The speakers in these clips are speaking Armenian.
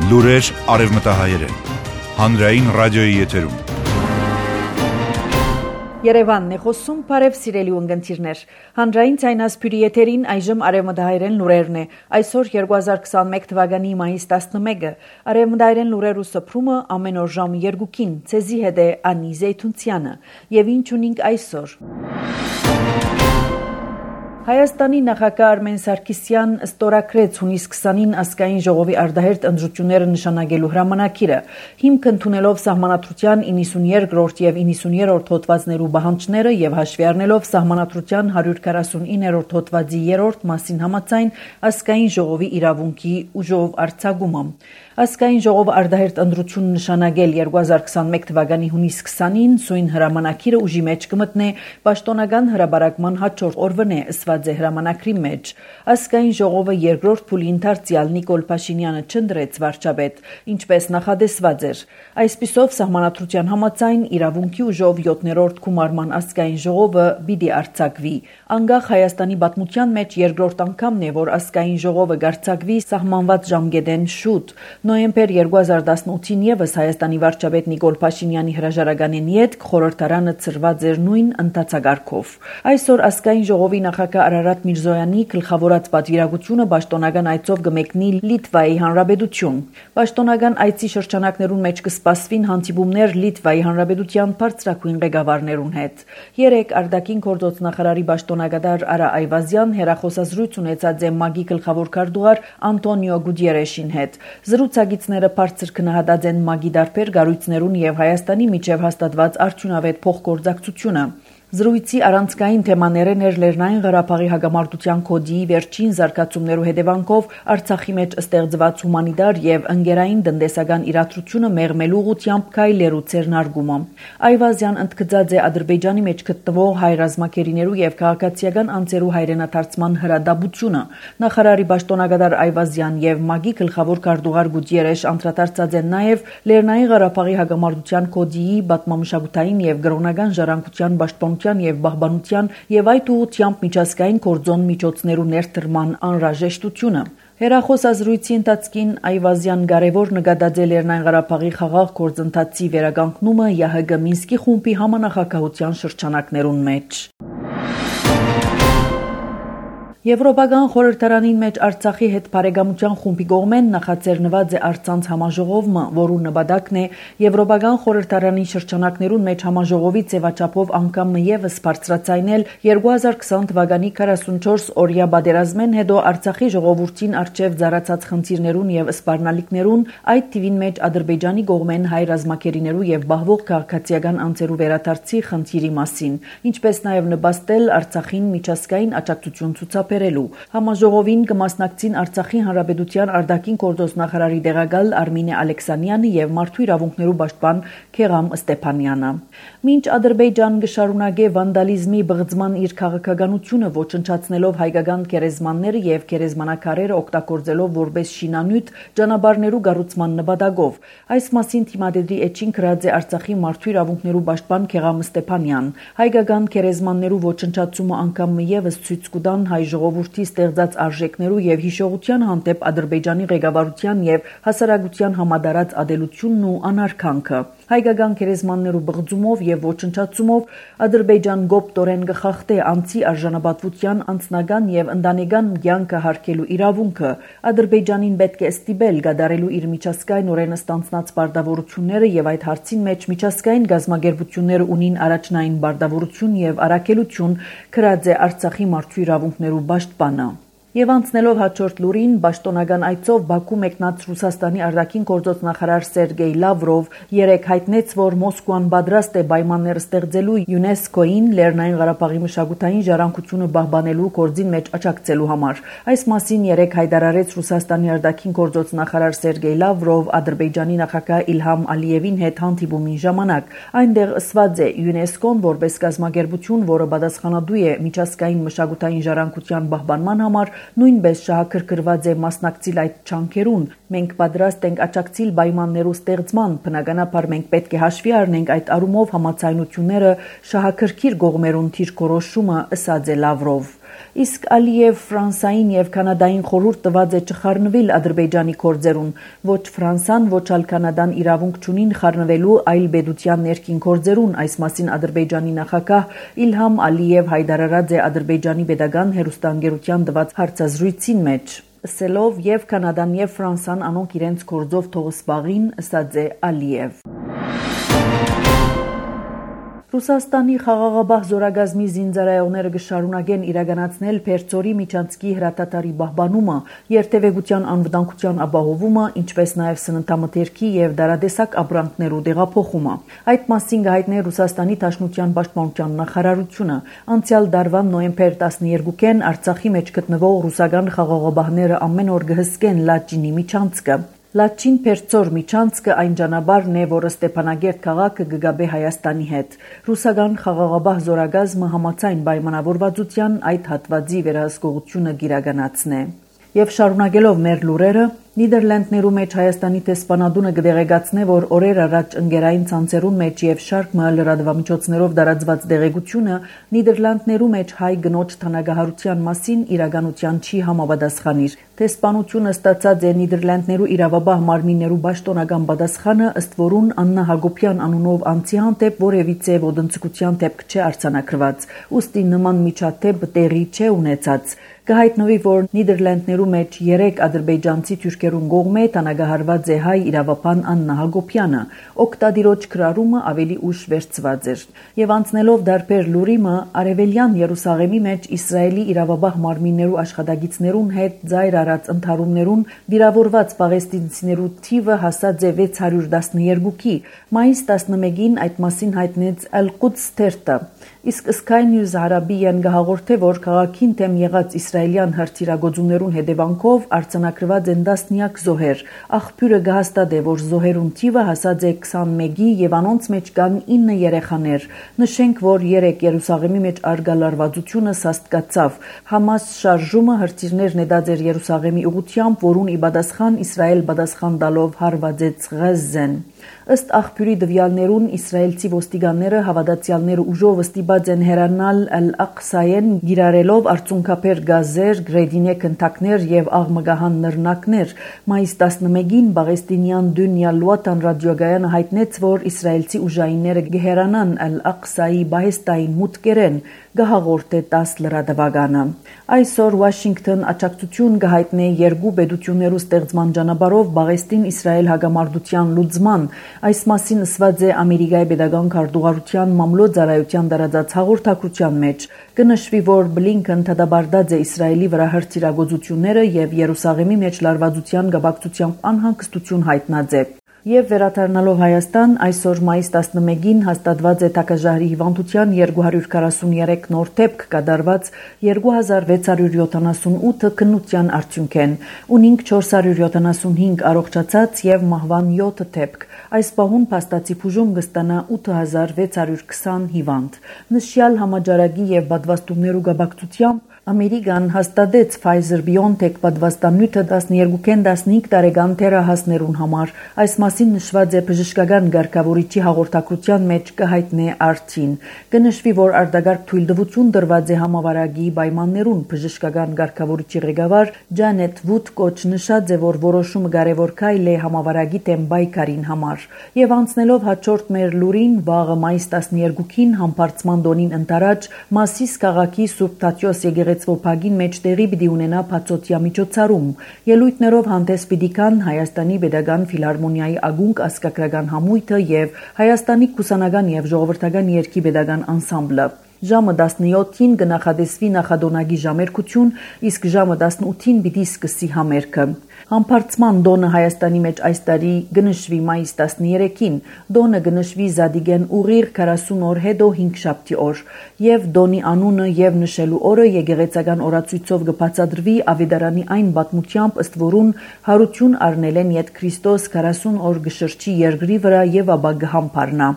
Լուրեր արևմտահայերեն։ Հանրային ռադիոյի եթերում։ Երևանն է խոսում, բարև սիրելի ունգընտիրներ։ Հանրային ցայնասփյուրի եթերին այժմ արևմտահայերեն լուրերն է։ Այսօր 2021 թվականի մայիս 11-ը արևմտահայերեն լուրերու սփռումը ամեն օր ժամը 2-ին ցեզի հետ է Անի Զեյթունցյանը։ Եվ ինչ ունենք այսօր։ Հայաստանի նախագահ Արմեն Սարգսյան ստորագրեց հունիս 20-ին ազգային ժողովի արտահերթ ընտրությունները նշանակելու հրամանագիրը, հիմք ընդունելով սահմանադրության 92-րդ եւ 93-րդ հոդվածներու պահանջները եւ հաշվի առնելով սահմանադրության 149-րդ հոդվածի 3-րդ մասին համաձայն ազգային ժողովի իրավունքի ուժով արձակումը։ Ազգային ժողովը արտահերթ ընտրություն նշանակել 2021 թվականի հունիս 20-ին սույն հրամանագիրը ուժի մեջ կմտնե պաշտոնական հրաբարակման հաջորդ օրվանե ըսված է հրամանագրի մեջ։ Ազգային ժողովը երկրորդ փուլի ընթերցյալ Նիկոլ Փաշինյանը չընտրեց վարչապետ, ինչպես նախադեсված էր։ Այսպիսով սահմանադրության համաձայն իրավունքի ուժով 7-րդ գումարման ազգային ժողովը պիտի արձակվի։ Անկախ Հայաստանի պատմության մեջ երկրորդ անգամն է, որ ազգային ժողովը կարձակվի սահմանված ժամկետեն շուտ։ Նոյեմբեր 2018-ին եւս Հայաստանի վարչապետ Նիկոլ Փաշինյանի հրաժարականին յետք խորհրդարանը ծրված էր նույն ընթացակարգով։ Այսօր ազգային ժողովի նախագահ Արարատ Միրզոյանի գլխավորած պատվիրակությունը պաշտոնական այցով կմեկնի Լիտվայի Հանրապետություն։ Պաշտոնական այցի շրջանակներուն մեջ կսպասվին հանդիպումներ Լիտվայի Հանրապետության բարձրագույն ղեկավարներուն հետ։ Երեկ արտաքին գործոց նախարարի պաշտոնակատար Արա Այվազյան հերախոսազրույց ունեցած է ՄԱԳ-ի գլխավոր քարտուղար Անտոնիո Գուտիերեշին հետ։ Զրուցակիցները բարձր քննադատած են ՄԱԳ-ի դարբեր կառույցներուն եւ Հայաստանի միջև հաստատված արդյունավետ փոխգործակցությունը։ Զրույցի առանցքային թեմաներն էր Լեռնային Ղարաբաղի հակամարտության կոդի վերջին զարգացումներու հետևանքով Արցախի մեջ ստեղծված հումանիտար եւ ընկերային տնտեսական իրադրությունը մեղմելու ուղղությամբ քայլերու ցերնարգումը։ Այվազյան ընդգծած է Ադրբեջանի մեջ գտնվող հայ ռազմակերիներու եւ քաղաքացիական անձերու հայրենադարձման հրադապությունը։ Նախարարի պաշտոնակատար Այվազյան եւ ՄԱԳ-ի գլխավոր քարտուղար Գուտիերեշ անդրադարձած են նաեւ Լեռնային Ղարաբաղի հակամարտության կոդի պատմամշակութային եւ գրոնական ժառանգության պաշտպանության եւ բահբանության եւ այդ ուղղությամբ միջազգային կորձոն միջոցներու ներդրման անհրաժեշտությունը։ Հերախոսազրույցի ընթացքին Այվազյան կարևոր նկատած է Լեռնային Ղարաբաղի խաղաղ գործընթացի վերականգնումը ՀՀԳ Մինսկի խումբի համանախագահության շրջանակներուն մեջ։ Եվրոպական խորհրդարանին մեջ Արցախի հետ բարեկամության խումբի կողմեն նախաձեռնված է Արցանց համաժողովը, որու նպատակն է Եվրոպական խորհրդարանի շրջանակներուն մեջ համաժողովի ձևաչափով անգամը եւս բարձրացնել 2020 թվականի 44 օրյա պատերազմեն հետո Արցախի ժողովրդին արչեւ ծառացած խնդիրներուն եւ սպառնալիքներուն, այդ թիվին մեջ Ադրբեջանի կողմեն հայ ռազմակերիներու եւ բահվող քաղաքացիական անձերու վերադարձի խնդիրի մասին, ինչպես նաեւ նպաստել Արցախին միջազգային աջակցություն ցուցաբերել։ Համաժողովին կմասնակցին Արցախի Հանրապետության արտաքին գործոց նախարարի տեղակալ Արմինե Ալեքսանյանը եւ մարդու իրավունքներու պաշտպան Քեղամ Ստեփանյանը։ Մինչ Ադրբեջան կշարունակե վանդալիզմի բղծման իր քաղաքականությունը ոչնչացնելով հայկական գերեզմանները եւ գերեզմանակարերը օգտագործելով որպես շինանյութ ճանապարհներու կառուցման նպատակով։ Այս մասին թիմադեդի էջին գրած է Արցախի մարդու իրավունքներու պաշտպան Քեղամ Ստեփանյան։ Հայկական գերեզմաններու ոչնչացումը անգամ եւս ցույց կտան հայ ժողովրդի ստեղծած արժեքներու եւ հիշողության հանդեպ Ադրբեջանի ղեկավարության եւ հասարակության համադարած ադելությունն ու անարգանքը։ Հայկական գերեզմաններու բղծումով եւ ոչնչացումով Ադրբեջան գոպտորեն կխախտե անձի արժանապատվության անձնական եւ ընտանեկան կյանքը հարգելու իրավունքը։ Ադրբեջանին պետք է ստիպել կատարելու իր միջազգային օրենը ստանձնած պարտավորությունները եւ այդ հարցին մեջ միջազգային գազམ་ագերբությունները ունին առաջնային պարտավորություն եւ առաքելություն, գրած է Արցախի մարդու իրավունքներու պաշտպանը։ Եվ անցնելով հաջորդ լուրին, պաշտոնական այցով Բաքու մեկնած Ռուսաստանի արտաքին գործոց նախարար Սերգեյ Լավրով երեկ հայտնեց, որ Մոսկվան պատրաստ է պայմաններ ստեղծելու ՅՈՒՆԵՍԿՕ-ին Լեռնային Ղարաբաղի մշակութային ժառանգությունը պահպանելու գործին մեջ աջակցելու համար։ Այս մասին երեկ հայտարարեց Ռուսաստանի արտաքին գործոց նախարար Սերգեյ Լավրով Ադրբեջանի նախագահ Իլհամ Ալիևին հետ հանդիպումի ժամանակ։ Այնտեղ ասված է ՅՈՒՆԵՍԿՕ-ն որպես կազմակերպություն, որը պատասխանատու է միջազգային մշակութային ժառանգության պահպանման համար, նույնպես շահագրգռված է մասնակցել այդ ջանքերուն։ Մենք պատրաստ ենք աջակցել պայմաններու ստեղծման, բնականաբար մենք պետք է հաշվի առնենք այդ առումով համաձայնությունները շահագրգիռ կողմերուն դիրքորոշումը, ասաց է Լավրով։ Իսկ Ալիև Ֆրանսային եւ Կանադային խորհուրդ տված է չխառնվել Ադրբեջանի գործերուն, ոչ Ֆրանսան, ոչ ալ Կանադան իրավունք չունին խառնվելու այլ բեդության ներքին գործերուն, այս մասին Ադրբեջանի նախագահ Իլհամ Ալիև հայտարարած է Ադրբեջանի pedagogan հերոստանգերության տված հարցազրույցին մեջ։ Ասելով եւ Կանադան եւ Ֆրանսան անոնք իրենց գործով թողսպաղին, ըսած է Ալիև։ Ռուսաստանի խաղաղաբահ զորագազմի զինծառայողները կշարունակեն իրականացնել Պերձորի միջանցքի հրատատարի պահպանումը, երթևեկության անվտանգության ապահովումը, ինչպես նաև սննդամթերքի եւ դարադեսակ ապրանքներու տեղափոխումը։ Այդ մասին կհայտնի Ռուսաստանի Դաշնության պաշտպանության նախարարությունը։ Անցյալ տարվան նոյեմբեր 12-ին Արցախի մեջ գտնվող ռուսական խաղաղաբահները ամեն օր կհսկեն Լաչինի միջանցքը։ Լաչին Պերձոր միջանցքը այն ճանապարհն է, որը Ստեփանագերտ քաղաքը կգաբե Հայաստանի հետ։ Ռուսական խաղաղաբահ զորագազմը համաձայն պայմանավորվածության այդ հատվածի վերահսկողությունը կիրականացնե։ Եվ շարունակելով մեր լուրերը, Նիդերլանդներու մեջ Հայաստանի տեսփանադունը կդեղեկացնե, որ օրեր առաջ ընկերային ցանցերուն մեջ եւ շարք լրատվամիջոցներով դարածված դեղեցությունը Նիդերլանդներու մեջ հայ գնոջ թանագահարության մասին իրականության չի համապատասխանիր։ Տեսփանությունը ստացած է Նիդերլանդներու իրավաբահ մարմիններու պաշտոնական պատասխանը, ըստ որուն Աննա Հակոբյան անունով անձի հանդեպ որևիցե ոտնձգության դեպք չէ արձանագրված։ Ուստի նման միջադեպ տեղի չէ ունեցած։ Կհայտնվի, որ Նիդերլանդներու մեջ 3 ադրբեջանցի թուրքերուն կողմէ տանագահարված է հայ իրավապան Աննա Հակոբյանը, օկտադիրոջ գրարումը ավելի ուշ վերցված էր։ Եվ անցնելով դարբեր լուրիմը, Արևելյան Երուսաղեմի մեջ Իսրայելի իրավաբահ մարմիններու աշխատագիցներուն հետ ծայր արած ընդհարումներուն վիրավորված պաղեստինցիներու թիվը հասած է 612-ի։ Մայիս 11-ին այդ մասին հայտնեց Al-Quds թերթը։ Իսկ Sky News Arabian գահաղորդե, որ քաղաքին դեմ եղած իսրայելյան հրթիռագործություններուն հետևանքով արձանագրված են տասնյակ զոհեր։ Աղբյուրը կհաստատե, որ զոհերուն թիվը հասած է 21-ի եւ անոնց մեջ կան 9 երեխաներ։ Նշենք, որ 3 Երուսաղեմի մեջ արգա լարվածությունը սաստկացավ։ Համաս շարժումը հրթիռներ նետած էր Երուսաղեմի ուղությամբ, որուն ի պատասխան Իսրայել պատասխան տալով հարվածեց Ղազեն։ Ըստ աղբյուրի դվյալներուն իսրայելցի ոստիկանները հավատացյալները ուժով ստիպած են հեռանալ Ալ-Աղսայեն գիրարելով արցունքաբեր գազեր, գրեդինե քնթակներ եւ աղմգահան նռնակներ։ Մայիս 11-ին Պաղեստինյան Դունյա Լուատան ռադիոգայանը հայտնեց, որ իսրայելցի ուժայինները կհեռանան Ալ-Աղսայի բահեստային մուտքերեն, գահաղորդե 10 լրատվականը։ Այսօր Վաշինգտոն աջակցություն կհայտնի երկու պետություններու ստեղծման ճանապարհով Պաղեստին Իսրայել հագամարտության լուծման։ Այս մասին ասված է Ամերիկայի pedagogan քարտուղարության մամլոյ-ծառայության դարածած հաղորդակցության մեջ։ Կնշվի, որ Բլինքեն դադարեցած է Իսրայելի վրա հրթիռագործությունները եւ Երուսաղեմի մեջ լարվածության կապակցությամբ անհանգստություն հայտնած է։ Եվ վերադառնալով Հայաստան, այսօր մայիս 11-ին հաստատված է Տակաժահրի հիվանդության 243 նոր դեպք կատարված 2678 քննության արդյունքեն, ունինք 475 առողջացած եւ մահվան 7 դեպք։ Այս պահուն փաստացի բուժում կստանա 8620 հիվանդ։ Նշյալ համաճարակի եւ պատվաստումներու կապակցությամբ Ամերիկան հաստատեց Pfizer-BioNTech պատվաստանյութը 12-15 տարեկան թերահասներուն համար։ Այս մասին նշված է բժշկական ղեկավարիչի հաղորդակցության մեջ կհայտնի արդին։ Կնշվի, որ արտագարկ թույլտվություն տրված է համավարակի պայմաններուն։ Բժշկական ղեկավարիչի ղեկավար Ջանետ Վուդկոչ նշած է, որ որոշումը կարևոր քայլ է համավարակի դեմ պայքարին համար։ Եվ անցնելով հաջորդ մեր լուրին, վաղը մայիս 12-ին համբարձման տոնին ընթരാճ Մասիս քաղաքի Սուրբ Թադեոս եկեղեցվոփագին մեջ տեղի պիտի ունենա բացօթյա միջոցառում։ Ելույթներով հանդես պիտի գան Հայաստանի pedagogan ֆիլհարմոնիայի ագունք ասկակրական համույթը եւ Հայաստանի կուսանական եւ ժողովրդական երգի pedagogan անսամբլը։ Ժամը 17-ին կնախադեсվի նախադոնագի ժամերկություն, իսկ ժամը 18-ին պիտի սկսի համերգը։ Համբարձման դոնը Հայաստանի մեջ այս տարի գնշվի մայիս 13-ին, դոնը գնշվի Զադիգեն ուղիղ 40 օր հետո 5 շաբթի օր, եւ դոնի անունը եւ նշելու օրը եկեղեցական օրացույցով կբացատրվի Ավետարանի այն պատմությամբ, ըստ որուն հարություն առնել են Ետ Քրիստոս 40 օր գշրջի երկրի վրա եւ ապա կհամբարնա։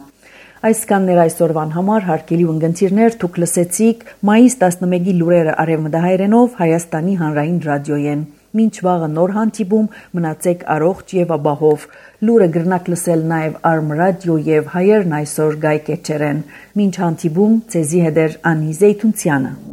Այսքաններ այսօրվան համար հարգելի ունգընտիրներ, դուք լսեցիք մայիս 11-ի լուրերը արևմտահայերենով Հայաստանի հանրային ռադիոյեն։ Մինչ վաղը նոր հանդիպում, մնացեք առողջ եւ ապահով։ Լուրը գրնակ լսել նաեւ Arm Radio եւ Հայերն այսօր Գայ Կեչերեն։ Մինչ հանդիպում, ցեզի հետ Անի Զեյթունցյանը։